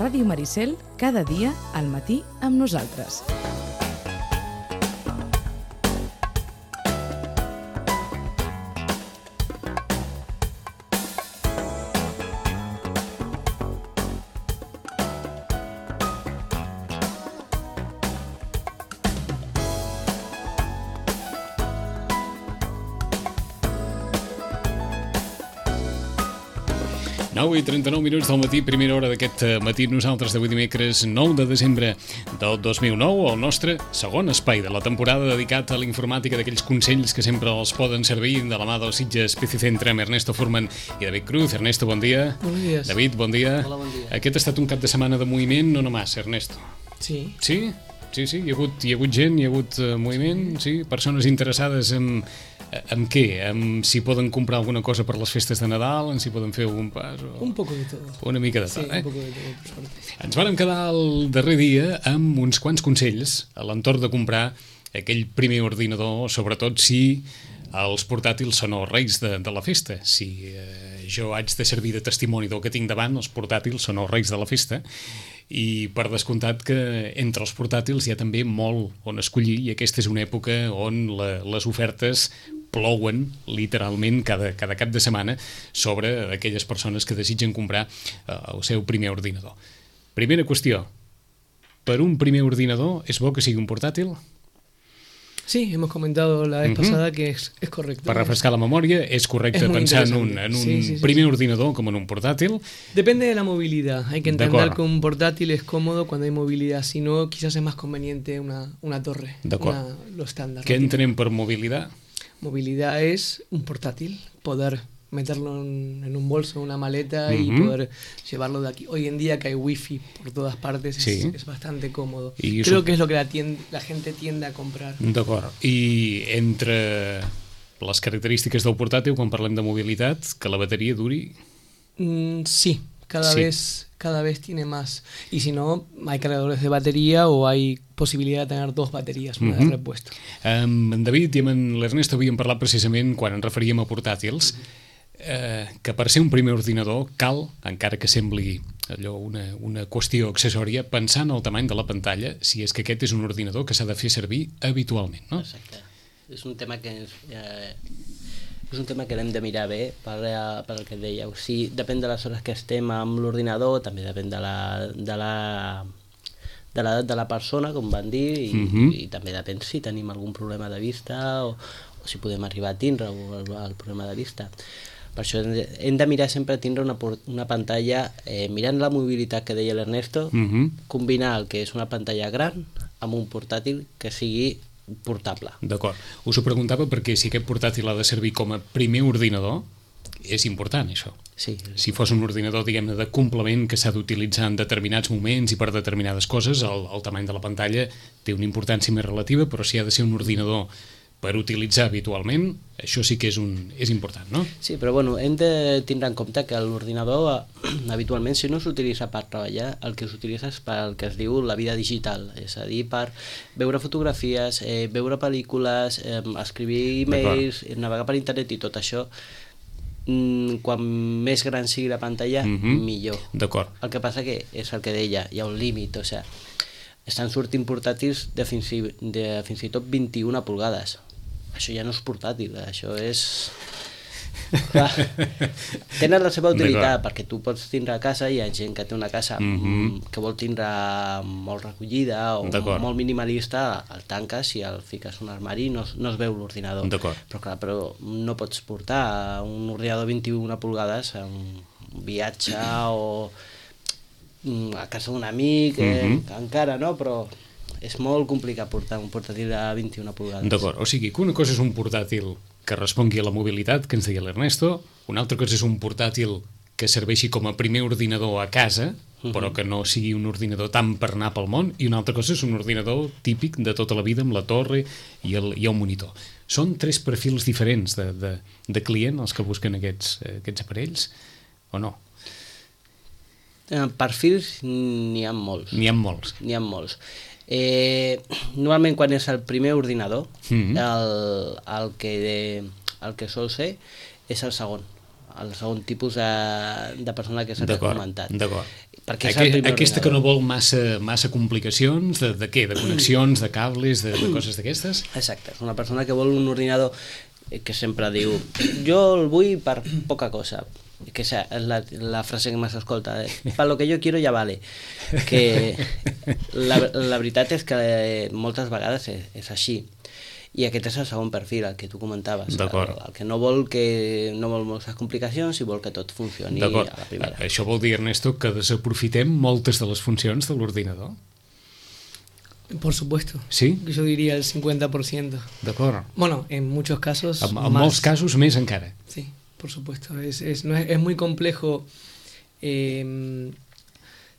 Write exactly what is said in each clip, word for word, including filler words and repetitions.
Ràdio Maricel, cada dia al matí amb nosaltres. nou i trenta-nou minuts del matí, primera hora d'aquest matí, nosaltres d'avui dimecres nou de desembre del dos mil nou, el nostre segon espai de la temporada dedicat a la informàtica, d'aquells consells que sempre els poden servir de la mà del Sitges P C Centre amb Ernesto Furman i David Cruz. Ernesto, bon dia. Bon dia. David, bon dia. Hola, bon dia. Aquest ha estat un cap de setmana de moviment, no només, Ernesto. Sí. Sí? Sí, sí, hi ha hagut, hi ha hagut gent, hi ha hagut uh, moviment, sí, persones interessades en, en què? En si poden comprar alguna cosa per les festes de Nadal, en si poden fer algun pas... O... Un poco de todo. Una mica de tot, sí, eh? un poco de todo, per sort. Ens vàrem quedar el darrer dia amb uns quants consells a l'entorn de comprar aquell primer ordinador, sobretot si els portàtils són els reis de, de la festa. Si eh, jo haig de servir de testimoni del que tinc davant, els portàtils són els reis de la festa. I per descomptat que entre els portàtils hi ha també molt on escollir, i aquesta és una època on la, les ofertes plouen literalment cada, cada cap de setmana sobre aquelles persones que desitgen comprar eh, el seu primer ordinador. Primera qüestió, per un primer ordinador és bo que sigui un portàtil? Sí, hemos comentado la vez uh-huh. pasada que es, es correcto. Per refrescar la memòria, és correcte pensar en un, en un sí, sí, sí, primer sí. ordinador com en un portátil. Depende de la movilidad. Hay que entender que un portátil es cómodo cuando hay movilidad. Si no, quizás es más conveniente una, una torre. Una, lo estándar. ¿Qué entenem per movilidad? Movilidad es un portátil, poder meterlo en, en un bolso, una maleta uh-huh. y poder llevarlo de aquí. Hoy en día que hay wifi por todas partes es, sí. es bastante cómodo. I Creo eso... que es lo que la, tiende, la gente tiende a comprar. D'acord. I entre les característiques del portàtil, quan parlem de mobilitat, que la bateria duri... Mm, sí, cada, sí. Vez, cada vez tiene más. Y si no, hay cargadores de batería o hay posibilitat de tener dos bateries, una uh-huh. de repuesto. Amb en David i amb l'Ernesto havíem parlat precisament, quan ens referíem a portàtils, uh-huh. Eh, que per ser un primer ordinador cal, encara que sembli allò una, una qüestió accessòria, pensar en el tamany de la pantalla, si és que aquest és un ordinador que s'ha de fer servir habitualment, no? Exacte. És un tema que és, eh, és un tema que l'hem de mirar bé per, per el que dèieu. Sí, depèn de les hores que estem amb l'ordinador, també depèn de la de la de l'edat de la persona, com van dir, i, uh-huh. i també depèn si tenim algun problema de vista o, o si podem arribar a tindre el, el problema de vista. Per això hem de mirar sempre a tindre una, una pantalla, eh, mirant la mobilitat que deia l'Ernesto, uh-huh. combinar el que és una pantalla gran amb un portàtil que sigui portable. D'acord. Us ho preguntava perquè si aquest portàtil ha de servir com a primer ordinador, és important això. Sí. Si fos un ordinador, diguem-ne, de complement que s'ha d'utilitzar en determinats moments i per determinades coses, el, el tamany de la pantalla té una importància més relativa, però si ha de ser un ordinador per utilitzar habitualment, això sí que és, un, és important, no? Sí, però bueno, hem de tindre en compte que l'ordinador habitualment, si no s'utilitza per treballar, el que s'utilitza és per el que es diu la vida digital, és a dir, per veure fotografies, eh, veure pel·lícules, eh, escriure e-mails, navegar per internet i tot això. Mm, quan més gran sigui la pantalla, uh-huh. millor. D'acord. El que passa que és el que deia, hi ha un límit, o sigui, estan sortint portàtils de fins i, de fins i tot vint-i-una pulgades. Això ja no és portàtil, això és... Clar, tenen la seva utilitat, perquè tu pots tindre a casa, hi ha gent que té una casa mm-hmm. que vol tindre molt recollida o molt minimalista, el tanques i el fiques un armari i no, no es veu l'ordinador. Però clar, però no pots portar un ordinador de vint-i-una pulgades a un viatge o a casa d'un amic, mm-hmm. eh, encara no, però és molt complicat portar un portàtil de vint-i-una pulgades. D'acord, o sigui que una cosa és un portàtil que respongui a la mobilitat, que ens deia l'Ernesto, una altra cosa és un portàtil que serveixi com a primer ordinador a casa, uh-huh. però que no sigui un ordinador tant per anar pel món, i una altra cosa és un ordinador típic de tota la vida amb la torre i el, i el monitor. Són tres perfils diferents de, de, de client els que busquen aquests, aquests aparells, o no? Eh, perfils n'hi ha molts. N'hi ha molts. N'hi ha molts. Eh, normalment quan és el primer ordinador, mm-hmm. el, el, que de, el que sol ser és el segon, el segon tipus de, de persona que s'ha comentat. D'acord. Perquè és Aqu el primer aquesta ordinador. que no vol massa, massa complicacions, de, de què? De connexions, de cables, de, de coses d'aquestes? Exacte, és una persona que vol un ordinador que sempre diu jo el vull per poca cosa, que és la, la frase que més escolta, per lo que jo quiero ja vale, que la, la veritat és que moltes vegades és, és així. I aquest és el segon perfil, el que tu comentaves. El, el que no vol que no vol moltes complicacions i vol que tot funcioni a la primera. Això vol dir, Ernesto, que desaprofitem moltes de les funcions de l'ordinador? Por supuesto. ¿Sí? Yo diría el cincuenta por ciento. D'acord. Bueno, en muchos casos En, en molts casos més encara. Sí, por supuesto. Es, es, no es, es muy complejo eh,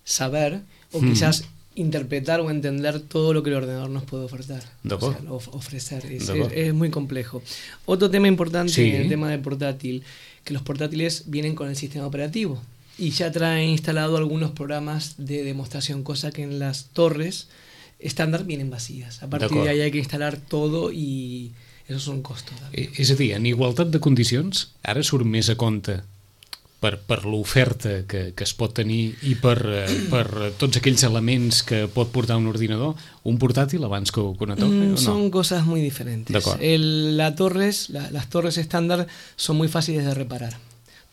saber o mm. quizás interpretar o entender todo lo que el ordenador nos puede ofertar. O sea, of ofrecer. Es, es, es muy complejo. Otro tema importante, sí. el tema del portátil, que los portátiles vienen con el sistema operativo y ya traen instalado algunos programas de demostración, cosa que en las torres estándar vienen vacías. A partir de ahí hay que instalar todo i eso són costos. És a dir, en igualtat de condicions, ara surt més a compte per, per l'oferta que, que es pot tenir i per, per tots aquells elements que pot portar un ordinador, un portàtil abans que una torre, mm, o no? Son cosas muy diferentes. El, la torres, la, las torres estándar son muy fáciles de reparar.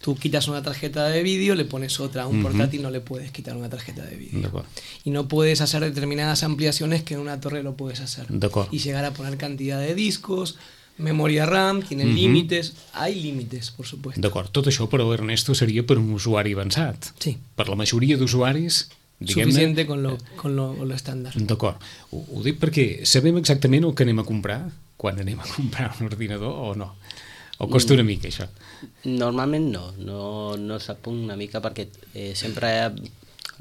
Tú quitas una tarjeta de vídeo, le pones otra. A un uh-huh. portátil no le puedes quitar una tarjeta de vídeo. Y no puedes hacer determinadas ampliaciones que en una torre lo puedes hacer. Y llegar a poner cantidad de discos, memoria RAM, tienen uh-huh. límites. Hay límites, por supuesto. D'acord. Tot això, però, Ernesto, seria per un usuari avançat. Sí. Per la majoria d'usuaris, diguem-ne... Suficiente con lo, con lo, con lo estándar. D'acord. Ho, ho dic perquè sabem exactament el que anem a comprar quan anem a comprar un ordinador o no? O costa una mica, això? Normalment no, no, no sap una mica perquè eh, sempre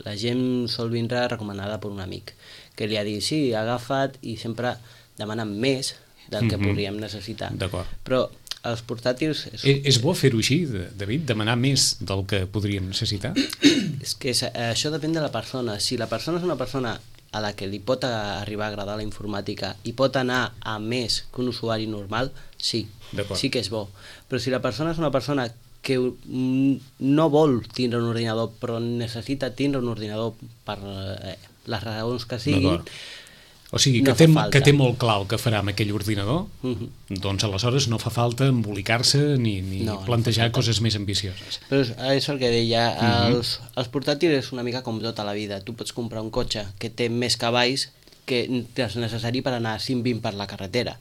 la gent sol vindre recomanada per un amic que li ha dit, sí, ha agafat i sempre demanen més del que mm-hmm. podríem necessitar. D'acord. Però els portàtils... És, és, és bo fer-ho així, David, demanar més del que podríem necessitar? És que és, això depèn de la persona. Si la persona és una persona a la que li pot arribar a agradar la informàtica i pot anar a més que un usuari normal, sí, sí que és bo. Però si la persona és una persona que no vol tindre un ordinador però necessita tindre un ordinador per eh, les raons que siguin, o sigui, que, no té, fa que té molt clar el que farà amb aquell ordinador, uh-huh. doncs aleshores no fa falta embolicar-se ni, ni no, plantejar no coses més ambicioses. Però és, és el que deia, uh-huh. els, els portàtils és una mica com tota la vida. Tu pots comprar un cotxe que té més cavalls que és necessari per anar a cent vint per la carretera.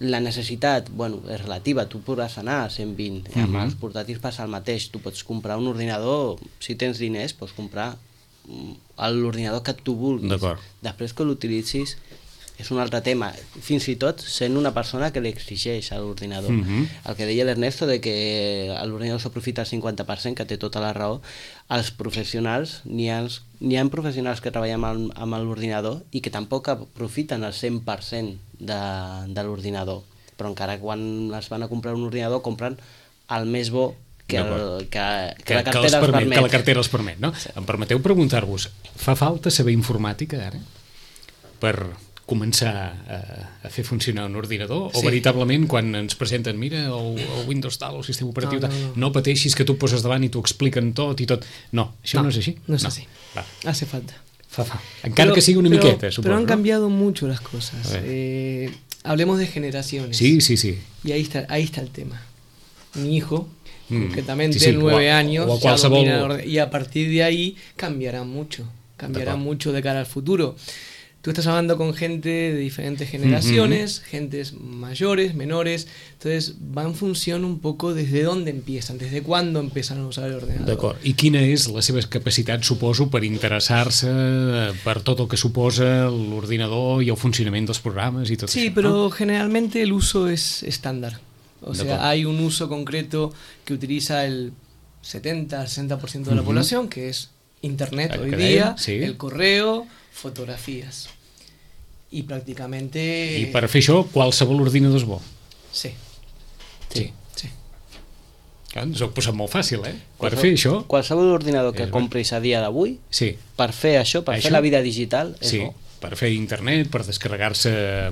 La necessitat, bueno, és relativa, tu podràs anar a cent vint, uh-huh. amb els portàtils passa el mateix. Tu pots comprar un ordinador, si tens diners, pots comprar l'ordinador que tu vulguis. Després que l'utilitzis és un altre tema, fins i tot sent una persona que li exigeix a l'ordinador. Uh-huh. El que deia l'Ernesto de que l'ordinador s'aprofita al cinquanta per cent, que té tota la raó, els professionals, n'hi ha, n'hi ha professionals que treballen amb, amb l'ordinador i que tampoc aprofiten el cent per cent de, de l'ordinador, però encara quan es van a comprar un ordinador compren el més bo que, el, que, que, que la cartera que els permet, permet. Que la cartera els permet, no? Sí. Em permeteu preguntar-vos, fa falta saber informàtica ara per començar a, a fer funcionar un ordinador? Sí. O veritablement quan ens presenten, mira, el, el Windows tal, el sistema operatiu no, no, no. no pateixis que tu poses davant i t'ho expliquen tot i tot. No, això no, no és així? No es no. así. Va. Hace falta. Fa, fa. Encara pero, que sigui una pero, miqueta, suposo. Pero han cambiado ¿no? mucho las cosas. Eh, hablemos de generaciones. Sí, sí, sí. Y ahí está, ahí está el tema. Mi hijo... concretamente sí, sí, nueve o, años o a ya domina, y a partir de ahí cambiará mucho cambiará mucho de cara al futuro. Tú estás hablando con gente de diferentes generaciones, uh-huh. gentes mayores, menores, entonces va en función un poco desde dónde empiezan, desde cuándo empiezan a usar el ordenador. D'acord. I quina és la seva capacitat, suposo, per interessar-se per tot el que suposa l'ordinador i el funcionament dels programes i tot sí, això? Sí, però no? generalmente el uso es estándar. O sea, hay un uso concreto que utiliza el setenta al sesenta por ciento de la uh-huh. población, que es Internet el hoy día, sí. el correo, fotografías. I pràcticament... I per fer això, qualsevol ordinador és bo? Sí. Sí. sí. Clar, ens ho ha posat molt fàcil, eh? Per fer això... Qualsevol ordinador que compris a dia d'avui, sí. per fer això, per això? fer la vida digital, és sí. bo. Per fer internet, per descarregar-se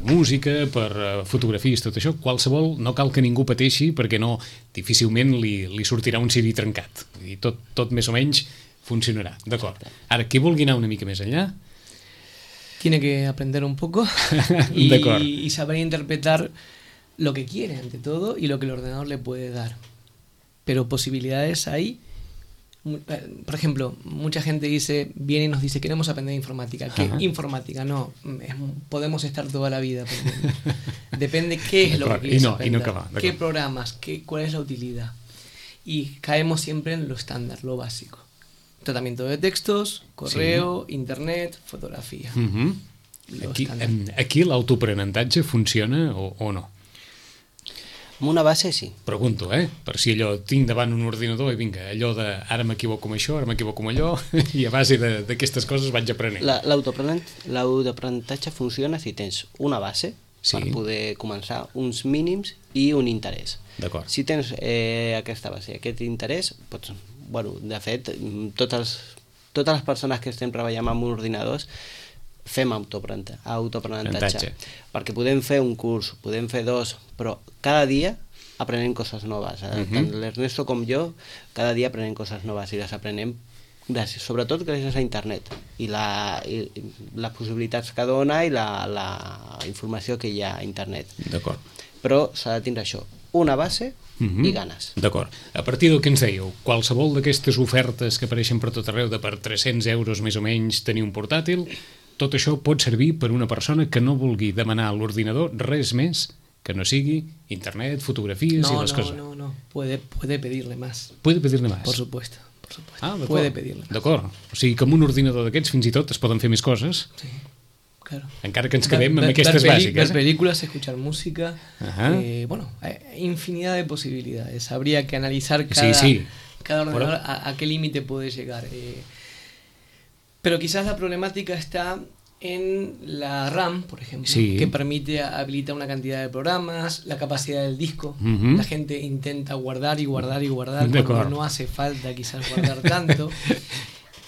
música, per fotografies, tot això, qualsevol, no cal que ningú pateixi perquè no, difícilment li, li sortirà un C D trencat. I tot, tot més o menys funcionarà. D'acord. Ara, qui vulgui anar una mica més enllà... Tiene que aprender un poco y, y saber interpretar lo que quiere ante todo y lo que el ordenador le puede dar. Pero posibilidades hay. Por ejemplo, mucha gente dice, viene y nos dice, queremos aprender informática. ¿Qué Ajá. informática? No, es, podemos estar toda la vida aprendiendo. Depende qué es lo que quieres no, aprender, no qué programas, qué, cuál es la utilidad. Y caemos siempre en lo estándar, lo básico. Tratamiento de textos, correo, sí. internet, fotografia. Uh-huh. Aquí, aquí l'autoaprenentatge funciona o, o no? Amb una base, sí. Pregunto, eh? Per si allò tinc davant un ordinador i vinga, allò de ara m'equivoco amb això, ara m'equivoco amb allò, i a base d'aquestes coses vaig aprenent. L'autoaprenentatge funciona si tens una base sí. per poder començar, uns mínims i un interès. D'acord. Si tens eh, aquesta base, aquest interès, pots... Bueno, de fet, totes, totes les persones que estem treballant amb ordinadors fem autoaprenentatge, perquè podem fer un curs, podem fer dos, però cada dia aprenem coses noves. Uh-huh. Tant l'Ernesto com jo, cada dia aprenem coses noves i les aprenem gràcies, sobretot gràcies a internet i, la, i les possibilitats que dona i la, la informació que hi ha a internet. D'acord. Però s'ha de tindre això, una base Uh-huh. i ganes. D'acord. A partir del que ens dèieu, qualsevol d'aquestes ofertes que apareixen per tot arreu de per tres-cents euros més o menys tenir un portàtil, tot això pot servir per una persona que no vulgui demanar a l'ordinador res més que no sigui internet, fotografies no, i les no, coses. No, no, no, puede, puede pedirle más. Puede pedirle más. Por supuesto. Por supuesto. Ah, puede pedirle más. D'acord. O sigui que amb un ordinador d'aquests fins i tot es poden fer més coses. Sí. Claro. Encara que ens quedem amb aquestes bàsiques. Ver películas, escuchar música, eh, bueno, hay infinidad de posibilidades. Habría que analizar cada, sí, sí. cada ordenador bueno. a, a qué límite puede llegar. Eh, pero quizás la problemática está en la RAM, por ejemplo, sí. que permite habilitar una cantidad de programas, la capacidad del disco. Uh-huh. La gente intenta guardar y guardar y guardar cuando no hace falta quizás guardar tanto.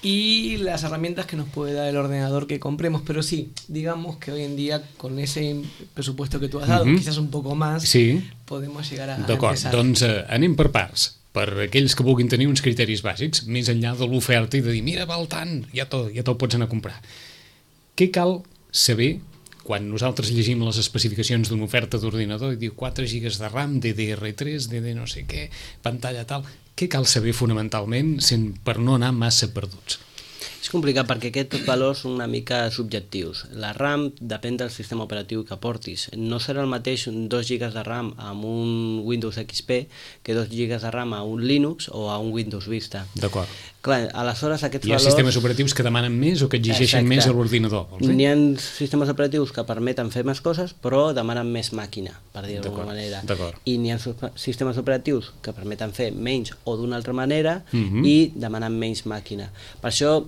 Y las herramientas que nos puede dar el ordenador que compremos, pero sí, digamos que hoy en día con ese presupuesto que tú has dado, uh-huh. quizás un poco más, sí. podemos llegar a, a D'acord, empezar. doncs eh, anem per parts. Per aquells que vulguin tenir uns criteris bàsics, més enllà de l'oferta i de dir, mira, val tant, ja te'l ja te pots anar a comprar. Què cal saber quan nosaltres llegim les especificacions d'una oferta d'ordinador i diu quatre gigas de RAM, D D R tres, D D no sé què, pantalla tal... Què cal saber fonamentalment per no anar massa perduts? És complicat perquè aquests valors són una mica subjectius. La RAM depèn del sistema operatiu que portis. No serà el mateix dos gigas de RAM amb un Windows X P que dos gigas de RAM a un Linux o a un Windows Vista. D'acord. Clar, aleshores aquests Hi ha valors... sistemes operatius que demanen més o que exigeixen Exacte. Més a l'ordinador. N'hi ha sistemes operatius que permeten fer més coses però demanen més màquina, per dir d'alguna manera. I n'hi ha sistemes operatius que permeten fer menys o d'una altra manera uh-huh. i demanen menys màquina. Per això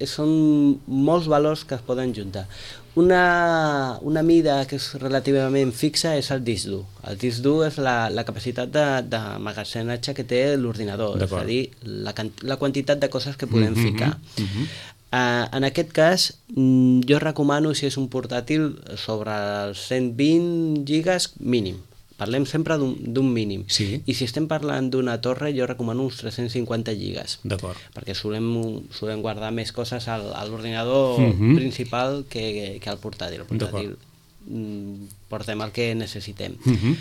són molts valors que es poden juntar. Una, una mida que és relativament fixa és el disc dur. El disc dur és la, la capacitat de, de magatzematge que té l'ordinador, és a dir, la, la quantitat de coses que podem mm-hmm, ficar. Mm-hmm. Uh, en aquest cas, jo recomano, si és un portàtil, sobre els cent vint gigas mínim. Parlem sempre d'un mínim. Sí. I si estem parlant d'una torre, jo recomano uns tres-cents cinquanta gigas. D'acord. Perquè solem, solem guardar més coses al, a l'ordinador uh-huh. principal que, que al portàtil. El portàtil portem el que necessitem. Uh-huh.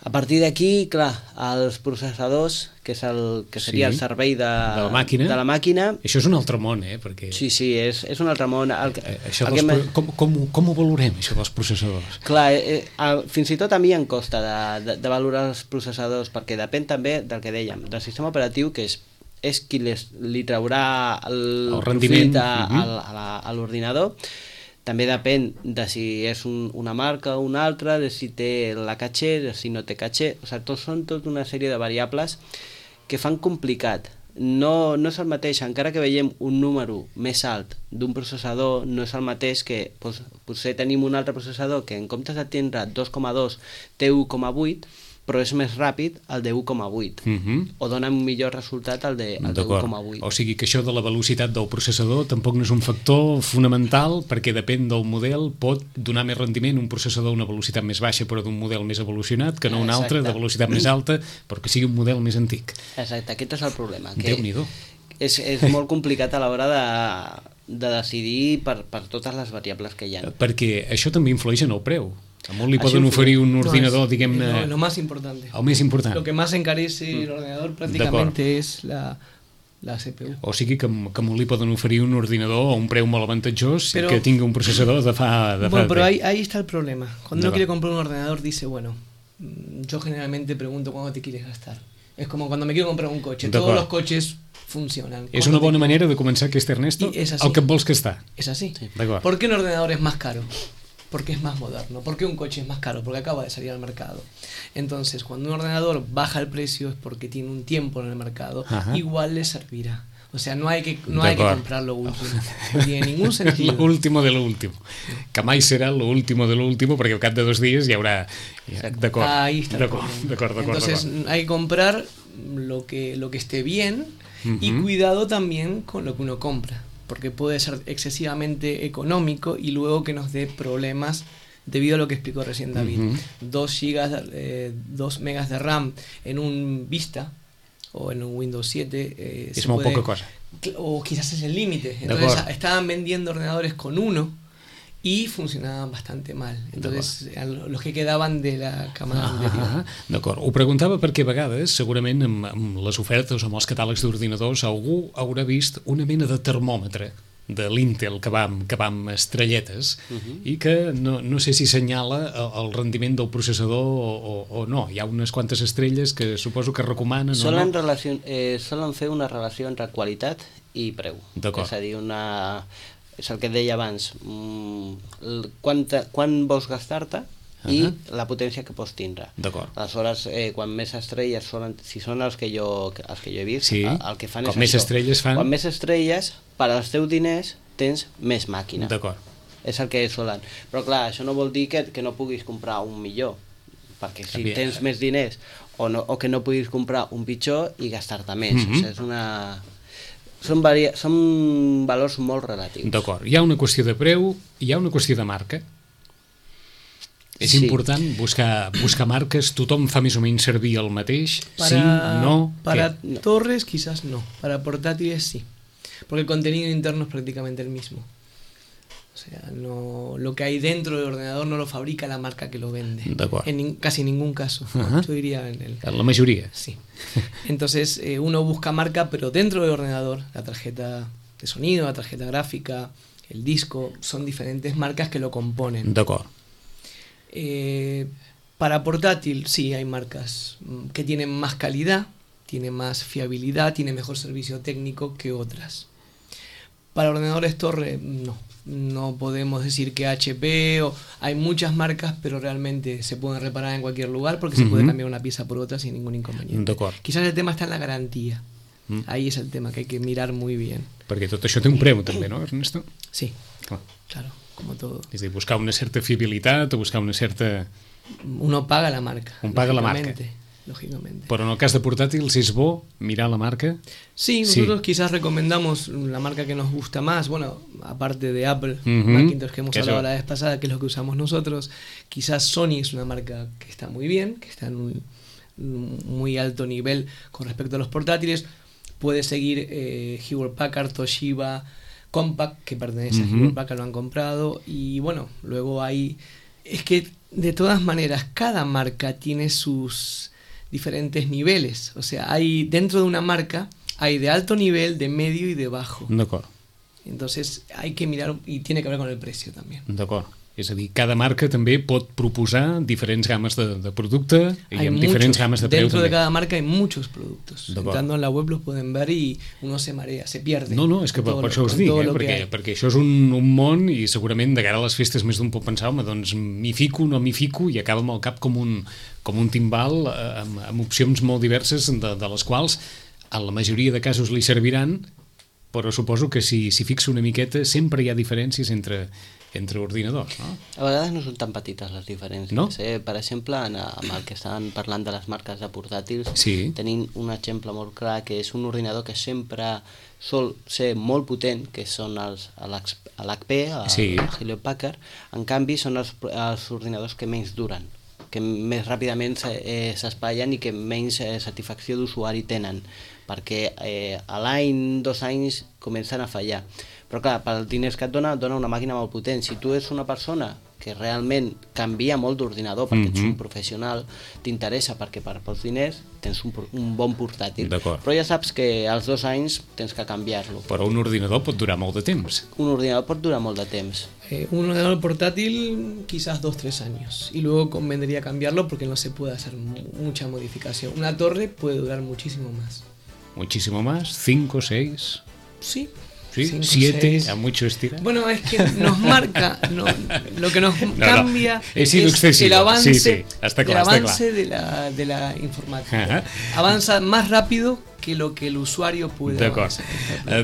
A partir d'aquí, clar, els processadors, que, és el, que seria sí, el servei de, de, la màquina. de la màquina... Això és un altre món, eh? Perquè... Sí, sí, és, és un altre món. El, eh, això el dels, com, com, com ho valorem, això dels processadors? Clar, eh, eh, fins i tot a mi em costa de, de, de valorar els processadors, perquè depèn també del que dèiem, del sistema operatiu, que és, és qui les, li traurà el, el rendiment a, uh-huh. a, a l'ordinador. També depèn de si és un, una marca o una altra, de si té la caché, de si no té caché. O sigui, tot, són tota una sèrie de variables que fan complicat. No, no és el mateix, encara que veiem un número més alt d'un processador, no és el mateix que doncs, potser tenim un altre processador que en comptes de tindre dos coma dos té u coma vuit, però és més ràpid el de u coma vuit, uh-huh. o dona un millor resultat el de, el de u coma vuit. O sigui que això de la velocitat del processador tampoc no és un factor fonamental, perquè depèn del model, pot donar més rendiment un processador a una velocitat més baixa però d'un model més evolucionat que no un altre de velocitat més alta però que sigui un model més antic. Exacte, aquest és el problema. Que Déu-n'hi-do. és, és molt complicat a l'hora de, de decidir per, per totes les variables que hi ha. Perquè això també influeix en el preu. A molt li poden oferir un ordinador, no es, diguem-ne... No, lo más importante. El més important. Lo que más encarece mm. el ordenador prácticamente es la, la C P U. O sigui que, que molt li poden oferir un ordinador a un preu molt avantatjós pero, i que tingui un processador de fa... De bueno, fa pero ahí, ahí está el problema. Cuando uno quiere comprar un ordenador dice, bueno, yo generalmente pregunto cuándo te quieres gastar. Es como cuando me quiero comprar un coche. Todos los coches funcionan. És una bona manera de començar aquest Ernesto, el que et vols gastar. Es así. Sí. ¿Por qué un ordenador es más caro? Porque es más moderno. ¿Por qué un coche es más caro? Porque acaba de salir al mercado. Entonces, cuando un ordenador baja el precio es porque tiene un tiempo en el mercado. Ajá. Igual le servirá. O sea, no hay que, no hay que comprar lo último. No tiene ningún sentido. Lo último de lo último. Que mai serà lo último de lo último, perquè al cap de dos dies hi haurà... Ja, d'acord. Ahí está. D'acord, d'acord, d'acord. Entonces, hay que comprar lo que, lo que esté bien uh-huh. y cuidado también con lo que uno compra. Porque puede ser excesivamente económico y luego que nos dé problemas debido a lo que explicó recién David. Uh-huh. dos gigas, eh, dos megas de RAM en un Vista o en un Windows siete eh, es muy poca cosa. O quizás es el límite. Entonces estaban vendiendo ordenadores con uno y funcionaven bastante mal. Entonces, los que quedaven de la camada ah, anterior. D'acord. Ho preguntava perquè a vegades, segurament, amb, amb les ofertes o amb els catàlegs d'ordinadors, algú haurà vist una mena de termòmetre de l'Intel que va, que va amb estrelletes uh-huh. i que no, no sé si senyala el, el rendiment del processador o, o, o no. Hi ha unes quantes estrelles que suposo que recomanen solen, o no. Relació, eh, solen fer una relació entre qualitat i preu. D'acord. És a dir, una... és el que et deia abans, quan, quan vols gastar-te i uh-huh. la potència que pots tindre. D'acord. Aleshores, eh, quan més estrelles solen, si són els que jo, els que jo he vist, sí. el, el que fan com és més això. Estrelles fan... Quan més estrelles, per als teus diners, tens més màquina. D'acord. És el que solen. Però clar, això no vol dir que, que no puguis comprar un millor, perquè si També. tens més diners, o, no, o que no puguis comprar un pitjor i gastar-te més. Mm-hmm. O sigui, és una... Són, varia... són valors molt relatius. D'acord. Hi ha una qüestió de preu, hi ha una qüestió de marca. És sí. important buscar, buscar marques, tothom fa més o menys servir el mateix, para, sí, no... Para ¿qué? Torres quizás no, para portátiles sí, porque el contenido interno es prácticamente el mismo. O sea, no, lo que hay dentro del ordenador no lo fabrica la marca que lo vende. En ni, casi ningún caso. Uh-huh. Yo diría en el... En la mayoría. Sí. Entonces, eh, uno busca marca, pero dentro del ordenador, la tarjeta de sonido, la tarjeta gráfica, el disco, son diferentes marcas que lo componen. D'acord. Eh, para portátil, sí, hay marcas que tienen más calidad, tienen más fiabilidad, tienen mejor servicio técnico que otras. Para ordenadores torre, no. No podemos decir que H P o hay muchas marcas, pero realmente se pueden reparar en cualquier lugar porque se uh-huh. puede cambiar una pieza por otra sin ningún inconveniente. Quizás el tema está en la garantía. Uh-huh. Ahí es el tema que hay que mirar muy bien. Perquè tot això té un preu també, no, Ernesto? Sí, clar. Claro, como todo. És a dir, buscar una certa fiabilitat o buscar una certa... Uno paga la marca. Un paga la marca. Lógicamente. Però en el cas de portàtils és bo mirar la marca? Sí, nosotros sí. quizás recomendamos la marca que nos gusta más, bueno, aparte de Apple, uh-huh. Macintosh que hemos que hablado eso. La vez pasada, que es lo que usamos nosotros, quizás Sony es una marca que está muy bien, que está en un muy alto nivel con respecto a los portátiles, puede seguir eh, Hewlett Packard, Toshiba, Compaq, que pertenece uh-huh. a Hewlett Packard, lo han comprado, y bueno, luego hay... Es que de todas maneras, cada marca tiene sus... diferentes niveles, o sea, hay dentro de una marca hay de alto nivel, de medio y de bajo. D'acord. Entonces hay que mirar y tiene que ver con el precio también. D'acord. És a dir, cada marca també pot proposar diferents games de, de producte i hay amb muchos, diferents games de preu dentro també. De cada marca hay muchos productos. Entrando en la web los pueden ver y uno se marea, se pierde. No, no, és que per, per això us dic, eh? perquè, perquè això és un, un món i segurament de cara a les festes més d'un pot pensar, home, doncs m'hi fico, no m'hi fico, i acaba amb el cap com un, com un timbal amb, amb opcions molt diverses de, de les quals en la majoria de casos li serviran, però suposo que si, si fixa una miqueta sempre hi ha diferències entre entre ordinadors, no? A vegades no són tan petites les diferències. No? Eh? Per exemple, en, amb el que estaven parlant de les marques de portàtils, sí. tenim un exemple molt clar que és un ordinador que sempre sol ser molt potent, que són els l'H P, el sí. Hewlett Packard, en canvi són els, els ordinadors que menys duren, que més ràpidament s'espatllen i que menys satisfacció d'usuari tenen. perquè eh, a l'any, dos anys, comencen a fallar. Però clar, pels diners que et dona, et dona una màquina molt potent. Si tu ets una persona que realment canvia molt d'ordinador perquè mm-hmm. ets un professional, t'interessa perquè per pels diners tens un, un bon portàtil. Però ja saps que als dos anys tens que canviar-lo. Però un ordinador pot durar molt de temps. Un ordinador pot durar molt de temps. Eh, un ordenador portátil quizás dos, tres años. Y luego convendría cambiarlo porque no se puede hacer mucha modificación. Una torre puede durar muchísimo más. ¿Muchísimo más? ¿Cinco, seis? Sí. ¿Sí? Cinco, ¿Siete? seis. ¿A mucho estira? Bueno, es que nos marca, no, lo que nos no, cambia no. He sido es el avance, sí, sí. Està clar, el avance està de, la, de la informática. Uh-huh. Avanza más rápido que lo que el usuario puede avançar.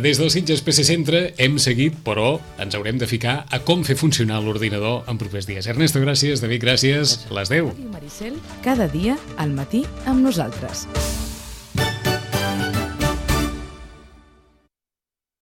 Des del Sitges P C Centre hem seguit, però ens haurem de ficar a com fer funcionar l'ordinador en propers dies. Ernesto, gràcies. David, gràcies. Les deu. Maricel, cada dia al matí amb nosaltres.